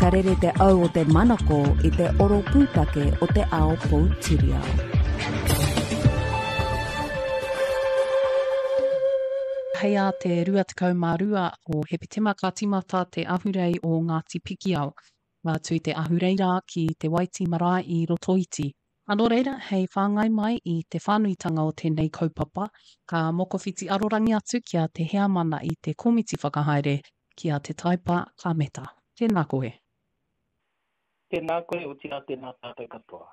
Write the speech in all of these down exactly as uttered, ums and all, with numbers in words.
Ka rere te au o te manako i te oro pūtake o te ao poutiriao. Hei ā te rua tekau mā rua o Hepetema ka tīmata te ahurei o Ngāti Pikiao. Ka tū te ahurei rā ki Te Waiti Marae i Rotoiti. Ā, nō reira, hei whāngai mai i te whānuitanga o tēnei kaupapa, ka mokowhiti arorangi atu ki a Te Heamana i te Komiti Whakahaere ki a Te Taipa Kameta. Tēnā koe. Tēnā koe, otirā tēnā tātou katoa.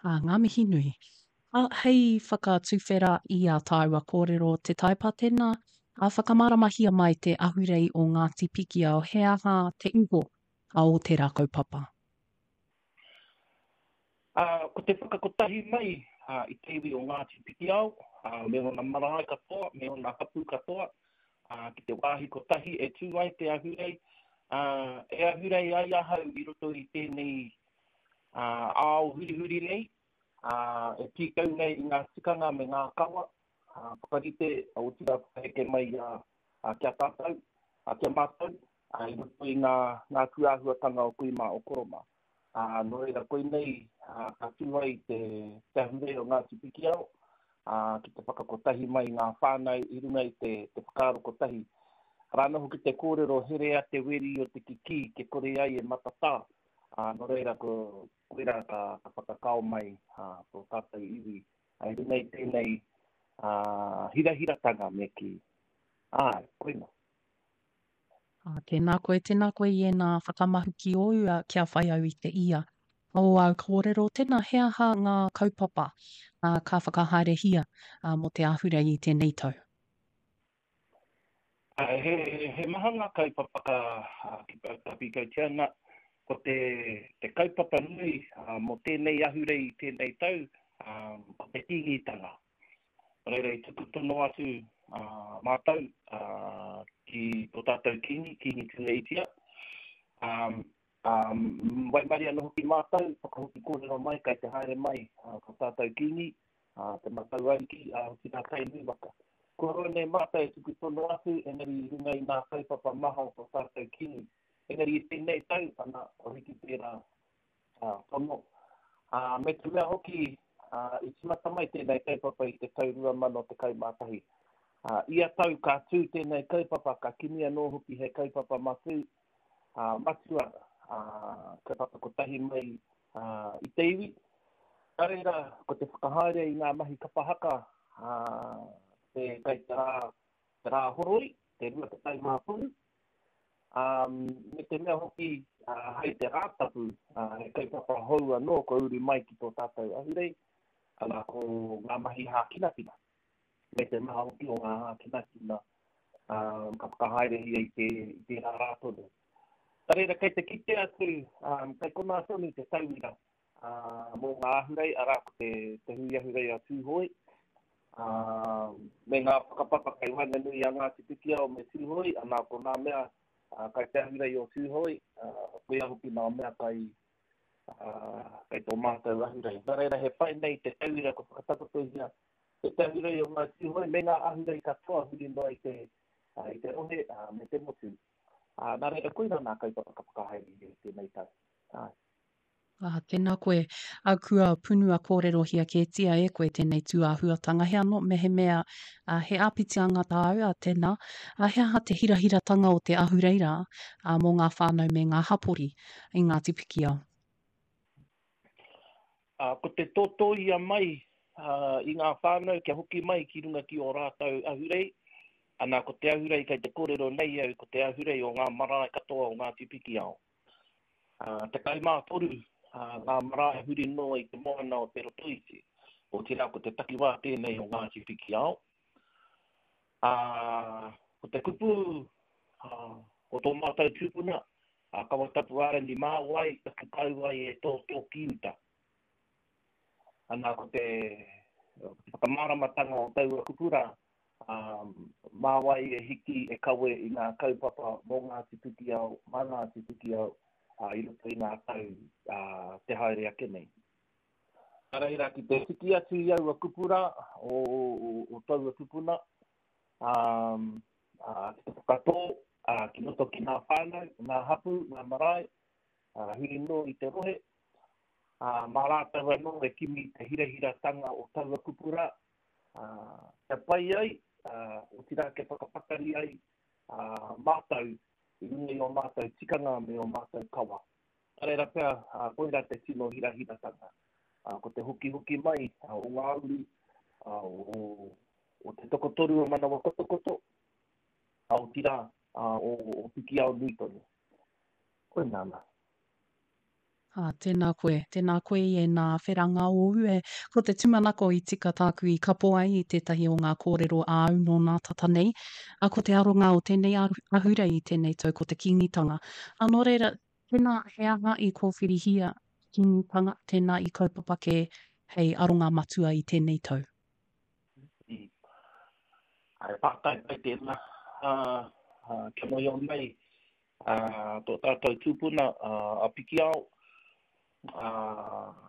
Ā, ngā mihi nui. Ā, hei whakatuwhera i ā tāua kōrero Te Taipa, tēnā, ā, whakamāramahia mai te ahurei o Ngāti Pikiao, he aha te iho a o tērā kaupapa? Ā, ko te whakakotahi mai ā, i te iwi o Ngāti Pikiao, ā, me ōna marae katoa, me ōna hapū katoa, ā, ki te wāhi kotahi e tū ai te ahurei, ā, e ahurei ai ahau i roto i tēnei ā, ao hurihuri nei, ā, e pīkau nei i ngā tikanga me ngā kawa, ā, whakarite, otirā whakaheke mai ā, ā, ki a tātou, ā, ki a mātou, ā, i roto i ngā, ngā tūāhuatanga o kui mā, o koro mā. Ā, nō reira, koinei ā, ka tū ai te, te ahurei o Ngāti Pikiao, ā, ki te whakakotahi mai ngā whānau i runga i te, te whakaaro kotahi. Rā anō hoki te kōrero herea te weri o te kikī ke kore ai e matatā. Ā, nō reira, ko, koirā ka, ka whakakao mai ā, tō tātou iwi. Ā, i runga i tēnei ā, hirahiratanga me kī. Āe, koina. Ā, tēnā koe, tēnā koe i ēnā whakamahuki ōu ā, kia whai au i te ia o āu kōrero. Tēnā, he aha ngā kaupapa ā, ka whakahaerehia ā, mō te ahurei i tēnei tau? Ā, he, he maha ngā kaupapa ka, ā, ka pīkautia ana. Ko te, te kaupapa nui ā, mō tēnei ahurei i tēnei tau, ā, ko te Kīngitanga. Nō reira, i tuku tono atu ā, mātou ā, ki tō tātou Kīngi, Kīngi Tūheitia. Ā, ā, waimarie anō hoki mātou, whakahoki kōrero mai, kai te haere mai ā, tō tātou Kīngi, ā, te Matau Ariki, ā, otirā Tainui waka. Kua roa nei mātou e tuku tono atu, engari i runga i ngā kaupapa maha o tō tātou Kīngi. Engari i tēnei tau, ana, kua hiki tērā ā, tono. Ā, me te mea hoki, ā, i tīmata mai tēnei kaupapa i te tau rua mano tekau mā tahi. Ā, ia tau ka tū tēnei kaupapa, ka kimi anō hoki he kaupapa matū, ā, matua, ā, kaupapa kotahi mai, ā, i te iwi. Nā reira, ko te whakahaere i ngā mahi kapa haka, ā, te kai te rā, te rā horoi, te rua tekau mā toru. Ā, me te mea hoki, ā, hei te Rātapu, ā, he kaupapa hou anō kua uru mai ki tō tātou ahurei, ana ko ngā mahi hākinakina, me te maha hoki o ngā hākinakina, ā, ka whakahaerehia i te, i tērā rā tonu. Nā reira, kei te kite atu, ā, kei konā tonu te tauira, ā, mō ngā ahurei, arā ko te, te hui ahurei a Tūhoe, ā, me ngā whakapapa kei waenganui i a Ngāti Pikiao me Tūhoe, ana ko ngā mea, ā, kai te ahurei o Tūhoe, ā, koia hoki ngā mea kai, ā, kai tō mātou ahurei. Nā reira, he pai nei te tauira kua whakatakotohia e te ahurei o Ngāi Tūhoe me ngā ahurei katoa huri noa i te, ā, i te rohe, ā, me te motu. Ā, nā reira, koirā ngā kaupapa ka whakahaerehia i tēnei tau. Āe. Ā, tēnā koe. Ā, kua punua kōrerohia kētia e koe tēnei tūāhuatanga. He anō, mehemea, ā, he āpitianga tāu, ā, tēnā. Ā, he aha te hirahiratanga o te ahurei rā, ā, mō ngā whānau me ngā hapori i Ngāti Pikiao? Ā, ko te tōtōia mai, ā, i ngā whānau kia hoki mai ki runga ki ō rātou ahurei, ana, ko te ahurei kei te kōrero nei au, ko te ahurei o ngā marae katoa o Ngāti Pikiao. Ā, tekau mā toru, ā, ngā marae huri noa i te moana o Te Rotoiti, otirā ko te takiwā tēnei o Ngāti Pikiao. Ā, ko te kupu, ā, o tō mātou tūpuna, a Kawatapuārangi mā wai taku kauae e tōtō ki uta. Ana, ko te, ko te whakamāramatanga o taua kupu rā, ā, mā wai e hiki e kawe i ngā kaupapa mō Ngāti Pikiao, mā Ngāti Pikiao, ā, i roto i ngā tau, ā, te haere ake nei. Nā reira, ki te tiki atu i aua kupu rā o, o, o taua tupuna, ā, ā, ki te whakatō, ā, ki roto ki ngā whānau, ngā hapū, ngā marae, ā, huri noa i te rohe, ā, mā rātou anō e kimi i te hirahiratanga o taua kupu rā, ā, kia pai ai, ā, otirā kia whakapakari ai, ā, mātou i runga i ō mātou tikanga me ō mātou kawa. Nā reira pea, ā, koirā te tino hirahiratanga, ā, ko te hokihoki mai o ngā uri, ā, o, o te tokotoru o Manawa Kotokoto, ā, otirā, ā, o, o Pikiao nui tonu. Koinā nā. Ā, tēnā koe, tēnā koe i ēnā wheranga ōu e. Ko te tūmanako i tika tāku i kapo ai i tētahi o ngā kōrero āu nō nā tata nei, ā, ko te aronga o tēnei ahurei i tēnei tau ko te Kīngitanga. Ā, nō reira, tēnā he aha i kōwhirihia te Kīngitanga, tēnā i kaupapa kē hei aronga matua i tēnei tau? He pātai pai tēnā, ā, kia mōhio mai tō tātou tūpuna a Pikiao, ā,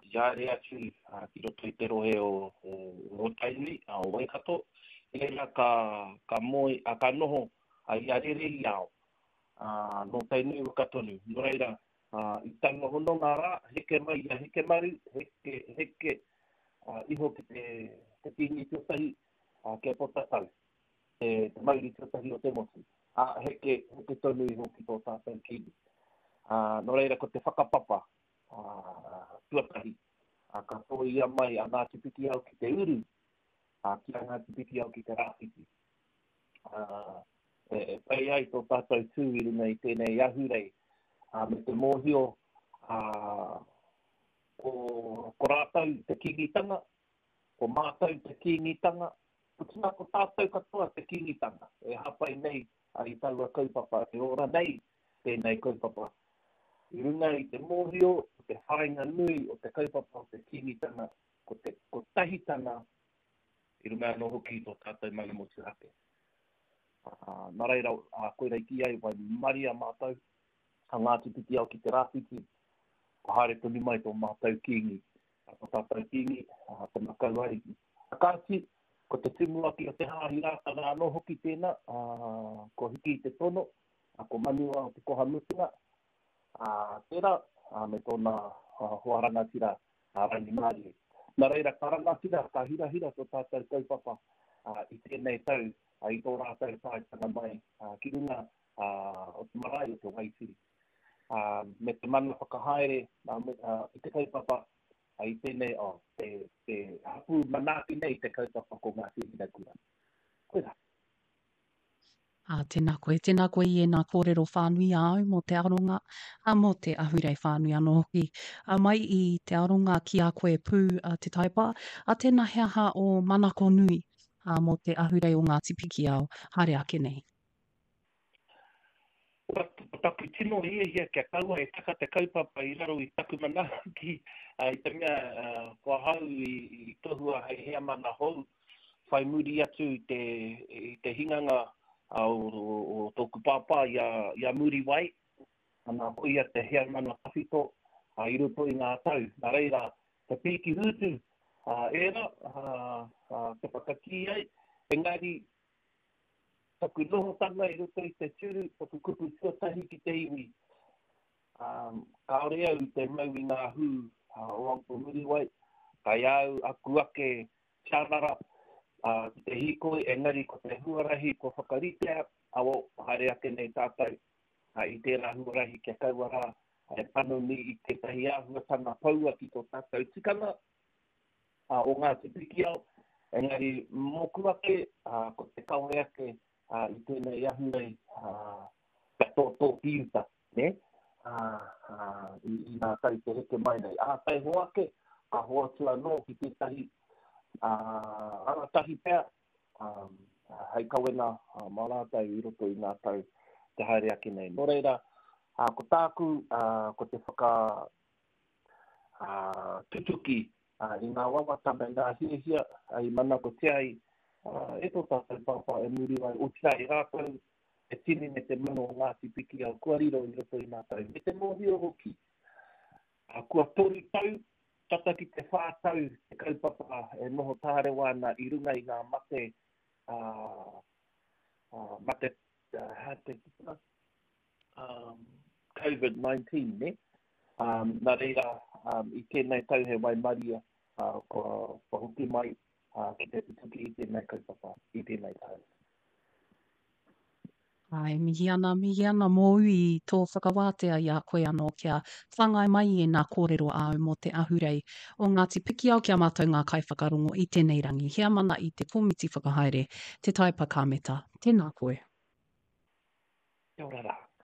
i haere atu ki roto i te rohe o, o Tainui, o Waikato, i reira ka, ka moe, ā, ka noho i a Rerehiao, ā, nō Tainui waka tonu. Nō reira, ā, i taua hononga rā, heke mai i a Hekemaru, heke, heke, ā, iho ki te, te kīngi tuatahi, ā, ki a Potatau, te, te mauri tuatahi o te motu. Ā, heke, heke tonu iho ki tō tātou kīngi. Ā, nō reira, ko te whakapapa, ā, tuatahi, ā, ka tōia mai a Ngāti Pikiao ki te uru, ā, ki a Ngāti Pikiao ki te rāwhiti. Ā, e, e pai ai tō tātou tū i runga i tēnei ahurei, ā, me te mōhio, ā, ko, ko rātou te kīngitanga, ko mātou te kīngitanga, otirā ko tātou katoa te kīngitanga, e hāpai nei i taua kaupapa, e ora nei tēnei kaupapa. I runga i te mōhio, o te whāinga nui o te kaupapa o te kīngitanga, ko te kotahitanga, i runga anō hoki i tō tātou mana motuhake. Ā, nā reira, ā, koira i kī ai, waimaria mātou, a Ngāti Pikiao ki te rāwhiti, kua haere tonu mai tō mātou kīngi, ā, tō tātou kīngi, ā, te Makau Ariki. Ā, kāti, ko te tumuaki o te Hāhi Rātana anō hoki tēnā, ā, kua hiki i te tono, ā, ko Manuao te koha mutunga, ā, tērā, ā, me tōna hoa rangatira, ā, Rangimārie. Nā reira, ka rangatira, ka hirahira tō tātou kaupapa, ā, i tēnei tau, ā, i tō rātou taetanga mai, ā, ki runga, ā, o te marae o Te Waitiri. Ā, me te mana whakahaere, ā, me, ā, i te kaupapa, ā, i tēnei, oh, te, te hapū manaaki nei te kaupapa ko Ngāti Hinekura. Koirā. Ā, tēnā koe, tēnā koe i ēnā kōrero whānui āu mō te aronga, ā, mō te ahurei whānui anō hoki. Ā, mai i te aronga ki a koe pū, a Te Taipa, ā, tēnā he aha ō manako nui, ā, mō te ahurei o Ngāti Pikiao, haere ake nei. Ko taku tino hiahia kia kaua e taka te kaupapa i raro i taku manaaki, ā, i te mea, ā, ko ahau i, i tohua hei heamana hou, whai muri atu i te, i te hinganga o, o, o tōku pāpā i a, i a Muriwai, ana, ko ia te heamana tawhito, ā, i roto i ngā tau. Nā reira, te pīki hūtu, ā, ērā, ā, ā, te whakakī ai, engari, taku nohotanga i roto i te tūru, taku kupu tuatahi ki te iwi, ā, kāore au i te mau i ngā hū, ā, o Uncle Muriwai, kai au aku ake tianara, ā, ki te hīkoi, engari ko te huarahi kua whakaritea, ā, o, haere ake nei tātou, ā, i tērā huarahi kia kaua rā e panoni i tētahi āhuatanga poua ki tō tātou tikanga, ā, o Ngāti Pikiao, engari mōku ake, ā, ko te kawe ake, ā, i tēnei ahurei, ā, kia tōtō ki uta, nē? Ā, ā, i, i ngā tau te heke mai nei. Ā, taihoa ake, ka hoatu anō ki tētahi, ā, rangatahi pea, ā, hei kawenga, ā, mā rātou i roto i ngā tau te haere ake nei. Nō reira, ā, ko tāku, ā, ko te whaka, ā, tutuki, ā, i ngā wawata me ngā hiahia, ā, i manakotia ai, ā, e tō tātou pāpā e Muriwai, otirā i rātou te tini me te mano o Ngāti Pikiao kua riro i roto i ngā tau. Me te mōhio hoki, ā, kua toru tau, tata ki te whā tau te kaupapa e noho tārewa ana i runga i ngā mate, ā, ā, mate, ā, hā te, um, COVID nineteen, ne? Um, nā reira, um, i tēnei tau he waimaria, uh, kua, kua hoki mai uh, ki te tutuki i tēnei kaupapa, i tēnei tau. Ai, mihi ana, mihi ana mōu i tō whakawātea i a koe anō kia whāngai mai i ēnā kōrero āu mō te ahurei o Ngāti Pikiao ki a mātou ngā kaiwhakarongo i tēnei rangi. Heamana i te komiti whakahaere, Te Taepa Kāmeta. Tēnā koe. Kia ora rā.